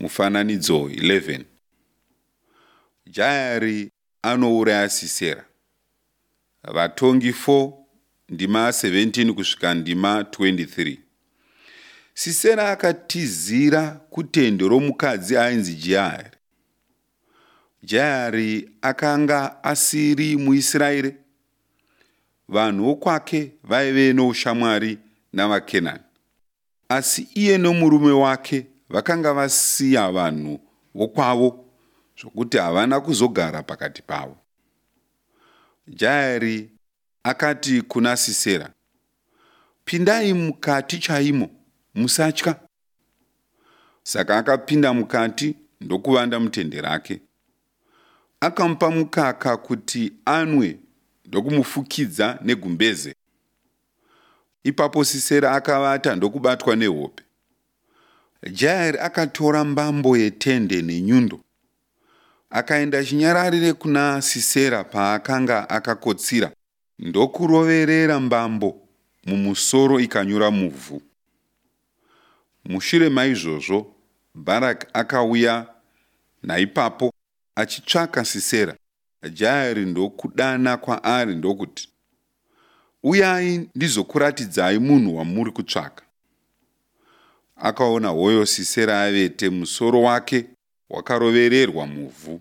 Mufananidzo 11. Jaeri anouraya Sisera. Vatongi 4 ndima 17 kusvika ndima 23. Sisera akatizira kutende romukadzi ainzi Jaeri. Jaeri akanga asiri muIsraeri. Vanhu vokwake vaive noushamwari navaKenani. Asi iye nomurume wake vakanga vasiya vanhu vokwavo zvokuti havana kuzogara pakati pavo. Jaeri akati kuna Sisera, Pindai mukati chaimo, musatya. Saka akapinda mukati ndokuvanda mutende rake. Akamupa mukaka kuti anwe ndokumufukidza negumbeze. Ipapo Sisera akavata ndokubatwa nehope. Jaeri akatora mbambo yetende nenyundo. Akaenda chinyararire kuna Sisera paakanga akakotsira ndokuroverera mbambo mumusoro ikanyura muvhu. Mushure maizvozvo Bharaki akauya naipapo achitsvaka Sisera. Jaeri ndokudana kwaari ndokuti, Uyai ndizokuratidzai munhu wamuri kutsvaka. Akaona hoyo Sisera avete, musoro wake wakarovererwa muvhu.